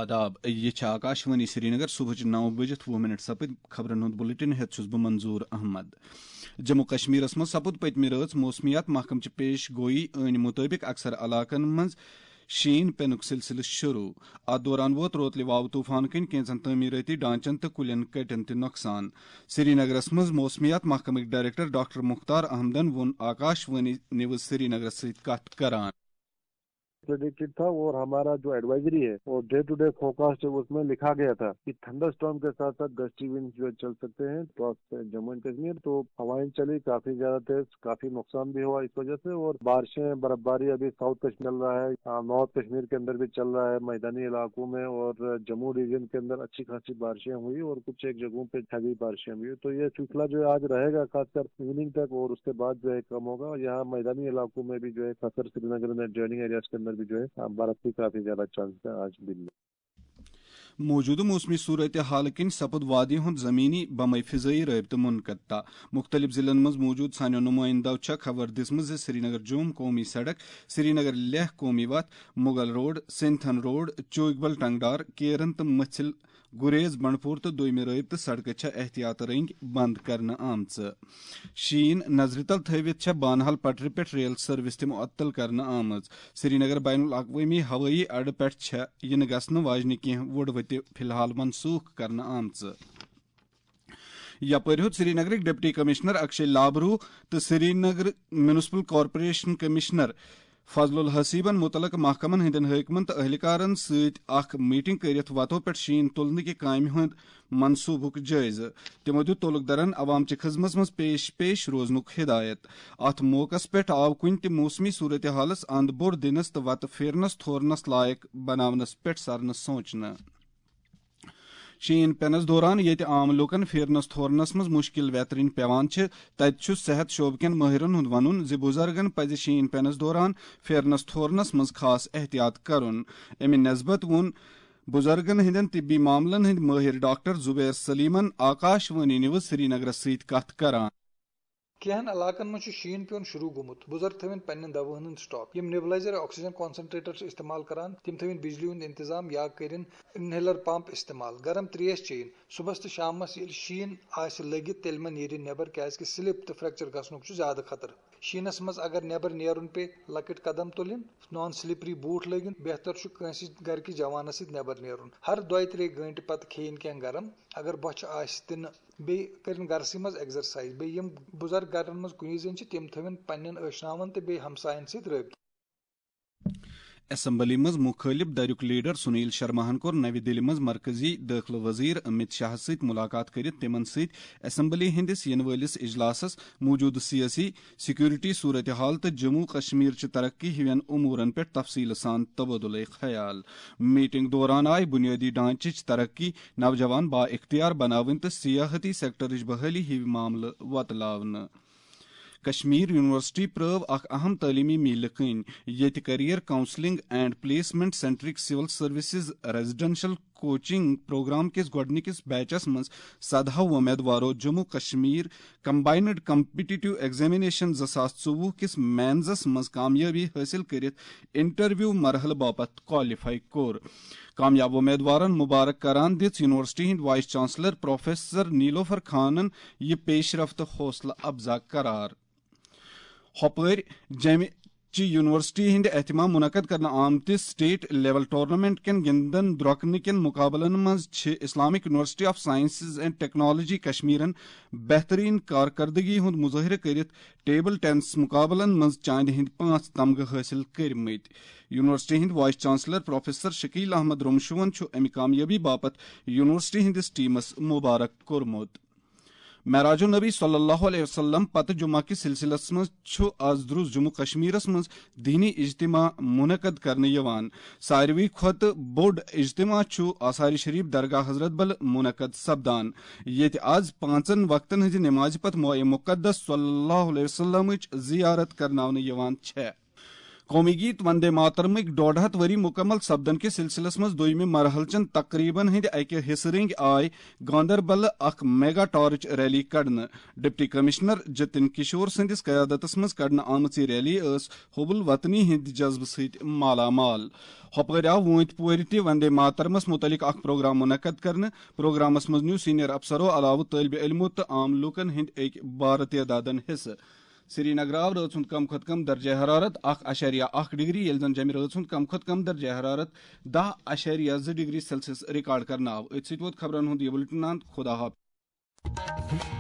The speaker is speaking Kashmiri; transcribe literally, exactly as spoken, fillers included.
آداب، یہِ چھِ آکاشوانی سرینگر۔ صبحٕچ نو بجِتھ وُہ منٹ سپٕدۍ۔ خبرن ہُنٛد بلیٹن ہٮ۪تھ چھُس بہٕ منظور احمد۔ جموں کشمیرس منٛز سپُد پٔتمہِ رٲژ موسمیات محکمہٕ چہِ پیش گویی ٲنۍ مُطٲبِق اکثر علاقن منٛز شیٖن پینُک سلسلہٕ شروع۔ اتھ دوران ووت روتلہِ واوٕ طوفان کِنۍ کینٛژن تعمیٖرٲتی ڈھانچن تہٕ کُلٮ۪ن کٹٮ۪ن تہِ نۄقصان۔ سرینگرس منٛز موسمیات محکمٕکۍ ڈائریکٹر ڈاکٹر مختار احمدن ووٚن آکاشوانی نیوز سرینگرس سۭتۍ کتھ کران۔ پریڈکٹڈ تھا اور ہمارا جو ایڈوائزری ہے اور ڈے ٹو ڈے فورکاسٹ ہے، اس میں لکھا گیا تھا کہ تھنڈر اسٹارم کے ساتھ ساتھ گسٹی ونڈ جو چل سکتے ہیں اکراس جموں اینڈ کشمیر۔ تو ہوائیں چلی کافی زیادہ تیز، کافی نقصان بھی ہوا اس وجہ سے، اور بارشیں، برف باری ابھی ساؤتھ کشمیر چل رہا ہے، آ، نارتھ کشمیر کے اندر بھی چل رہا ہے، میدانی علاقوں میں اور جموں ریجن کے اندر اچھی خاصی بارشیں ہوئی اور کچھ ایک جگہوں پہ ہیوی بارشیں ہوئی۔ تو یہ سلسلہ جو ہے آج رہے گا، خاص کر ایوننگ تک، اور اس کے بعد جو ہے کم ہوگا۔ اور یہاں میدانی علاقوں میں بھی جو ہے خاص کر سری نگر میں ایڈجوائننگ ایریاز کے اندر بھی جو ہے، آ، برف کی کافی زیادہ چانس ہے آج دن میں۔ موجودٕ موسمی صورتحال کِنۍ سپُد وادی ہُنٛد زمینی بمے فضٲیی رٲبطہٕ منقطع۔ مُختٔلِف ضلعن منٛز موجود سانیو نُمٲیندو چھےٚ خبر دِژمٕژ زِ سرینگر جوم قومی سڑک، سرینگر لیہہ قومی وتھ، مغل روڈ، سنتھن روڈ، چوگبل ٹنگڈار، کیرن تہٕ مٔژھِل گریز بنڈپور تہٕ دوٚیمہِ رٲبطہٕ سڑکہٕ چھےٚ احتیاط رٔنگۍ بند کرنہٕ آمژٕ۔ شیٖن نظرِ تل تھٲوِتھ چھےٚ بانہال پٹرِ پٮ۪ٹھ ریل سروس تہِ معطل کرنہٕ آمٕژ۔ سرینگر بین الاقوٲمی ہوٲیی اڈٕ پٮ۪ٹھ چھےٚ یِنہٕ گژھنہٕ واجنہِ کینٛہہ وُڈوٕتہِ فی الحال منسوخ کرنہٕ آمژٕ۔ یپٲرۍ ہیوٚت سرینگرٕکۍ ڈپٹی کمشنر اکشے لابرو تہٕ سرینگر میونسپل کارپوریشن کمشنر فضل الحسیبن متعلقہٕ محکمن ہٕنٛدٮ۪ن حٲکمن تہٕ اہلکارن سۭتۍ اکھ میٹنگ کٔرِتھ وتو پٮ۪ٹھ شیٖن تُلنہٕ کہِ کامہِ ہُنٛد منصوبُک جٲیزٕ۔ تِمو دیُت تعلقدارن عوام چہِ خدمژ منٛز پیش پیش روزنُک ہدایت۔ اتھ موقعس پٮ۪ٹھ آو کُنہِ تہِ موسمی صورتحالس اند بوٚڑ دِنس تہٕ وتہٕ پھیرنس تھورنس لایق بناونس پٮ۪ٹھ سرنہٕ سونچنہٕ۔ شیٖن پینس دوران ییٚتہِ عام لوٗکن پھیرنس تھورنس منٛز مُشکِل ویترِنۍ پیوان چھِ، تتہِ چھُ صحت شعبہٕ کٮ۪ن مٲہرن ہُنٛد وَنُن زِ بُزرگن پَزِ شیٖن پینس دوران پھیرنس تھورنس منٛز خاص احتیاط کرُن۔ اَمہِ نسبت ووٚن بُزرگن ہٕنٛدٮ۪ن طبی معاملن ہٕنٛدۍ مٲہِر ڈاکٹر زبیر سلیمن آکاش وانی نیوز سرینگرس سۭتۍ کتھ کران۔ کینٛہن علاقن منٛز چھُ شیٖن پیوٚن شروٗع گوٚمُت۔ بُزرگ تھٲوِن پننٮ۪ن دواہن ہُنٛد سٹاک۔ یِم نیبلائزر آکسیجن کانسنٹریٹر چھِ استعمال کران، تِم تھٲوِن بجلی ہُنٛد انتظام یا کٔرِن انہیلر پمپ استعمال۔ گرم تریش چیٚیِن۔ صبحس تہٕ شامس ییٚلہِ شیٖن آسہِ لٔگِتھ، تیٚلہِ مہ نیرِن نٮ۪بر، کیازِ کہِ سلپ تہٕ فریکچر گژھنُک چھُ زیادٕ خطرٕ۔ شیٖنس منٛز اگر نٮ۪بر نیرُن پیٚیہِ، لۄکٕٹۍ قدم تُلِن، نان سلپری بوٗٹھ لٲگِن۔ بہتر چھُ کٲنٛسہِ گرِکِس جوانس سۭتۍ نٮ۪بر نیرُن۔ ہر دۄیہِ ترٛیٚیہِ گٲنٛٹہِ پتہٕ کھیٚیِن کینٛہہ گرم۔ اگر بۄچھِ آسہِ تہِ نہٕ، بیٚیہِ کٔرِن گرسٕے منٛز ایگزرسائز۔ بیٚیہِ یِم بُزرگ گرن منٛز کُنی زٔنۍ چھِ، تِم تھٲوِن پننٮ۪ن ٲشناون تہٕ بیٚیہِ ہمساین سۭتۍ رٲبطہٕ۔ اسمبلی منٛز مُخٲلِف دھرُک لیڈر سنیل شرماہن کوٚر نَوِ دِلہِ منٛز مرکزی دٲخلہٕ وزیر امت شاہس سۭتۍ مُلاقات کٔرِتھ تِمن سۭتۍ اسمبلی ہٕنٛدِس یِنہٕ وٲلِس اجلاسس موٗجوٗدٕ سیٲسی، سیکورٹی صورتحال تہٕ جموں کشمیر چہِ ترقی ہِوٮ۪ن امورن پٮ۪ٹھ تفصیٖلہٕ سان تبادلہ خیال۔ میٹنگ دوران آیہِ بنیٲدی ڈھانچٕچ ترقی، نوجوان با اختیار بناوٕنۍ تہٕ سیاحتی سیکٹرٕچ بحالی ہِوۍ معاملہٕ وۄتلاونہٕ۔ کشمیر یونیورسٹی پرٲو اکھ اہم تعلیمی میلہِ کٔنۍ، ییٚتہِ career counselling and placement centric civil services residential coaching program کِس گۄڈٕنِکِس بیچس منٛز سدہو وۄمیدوارو Jammu Kashmir Combined Competitive Examination زٕ ساس ژوٚوُہ کِس مینزس منٛز کامیٲبی حٲصِل کٔرِتھ انٹرویو مرحلہٕ باپتھ کوالیفائی کوٚر۔ کامیاب وۄمیدوارن مبارک کران دِژ یونیورسٹی ہٕنٛدۍ وائس چانسلر پروفیسر نیلوفر خانن یہِ پیش رفت حوصلہٕ افزا قرار۔ ہۄپٲرۍ جمہِ چہِ یونیورسٹی ہٕنٛدِ اہتمام منعقد کرنہٕ آمتِس سٹیٹ لیول ٹورنامنٹ کٮ۪ن گِنٛدن درۄکنہٕ کٮ۪ن مُقابلن منٛز چھِ Islamic university of sciences and technology کشمیرن بہترین کارکردگی ہُنٛد مظٲہرٕ کٔرِتھ ٹیبل ٹینس مُقابلن منٛز چاندِ ہٕنٛدۍ پانٛژھ تمغہٕ حٲصِل کٔرمٕتۍ۔ یونیورسٹی ہٕنٛدۍ vice chancellor professor Shakeel Ahmad رمشوَن چھُ اَمہِ کامیٲبی باپتھ یونیورسٹی ہٕنٛدِس ٹیمس مبارک کوٚرمُت۔ معراج النبی صلی اللہ علیہ وسلم پتہٕ جمعہ کِس سلسلس منٛز چھُ از دروز جموں کشمیرس منٛز دینی اجتماع منعقد کرنہٕ یِوان۔ ساروی کھۄتہٕ بوٚڑ اجتماع چھُ آثار شریف درگاہ حضرت بل منعقد سپدان، ییٚتہِ از پانٛژن وقتن ہٕنٛزِ نمازِ پتہٕ مایہِ مقدس صلی اللہ علیہ وسلمٕچ زیارت کرناونہٕ یِوان چھےٚ۔ قومی گیت وندے ماترمٕکۍ ڈۄڈ ہتھ ؤری مکمل سپدن کِس سلسلس منٛز دوٚیمہِ مرحلہٕ چٮ۪ن تقریبن ہٕنٛدِ اکہِ حصہٕ رٔنگۍ آے گاندربلہٕ اکھ میگا ٹارچ ریلی کڑنہٕ۔ ڈپٹی کمشنر جتن کشور سٕنٛدِس قیادتس منٛز کڑنہٕ آمٕژ یہِ ریلی ٲس حب الوطنی ہٕنٛدِ جذبہٕ سۭتۍ مالا مال۔ ہۄپٲرۍ آو وٲنتۍ پورِ تہِ وندے ماترمس متعلق اکھ پروگرام منعقد کرنہٕ۔ پروگرامس منٛز نیوٗ سینئر افسرو علاوٕ طٲلبِ علمو تہٕ عام لوٗکن ہٕنٛدۍ أکۍ بارٕ تعدادن حصہٕ۔ سرینگر آو رٲژ ہُنٛد کم کھۄتہٕ کم درجہ حرارت اکھ اعشاریہ اکھ ڈگری، ییٚلہِ زن جمہِ رٲژ ہُنٛد کم کھۄتہٕ کم درجہ حرارت دہ اعشاریہ زٕ ڈگری سیلسیس ریکارڈ کرنہٕ آو۔ أتھۍ سۭتۍ ووت خبرن ہُنٛد یہِ بُلٹن اند۔ خدا حافظ۔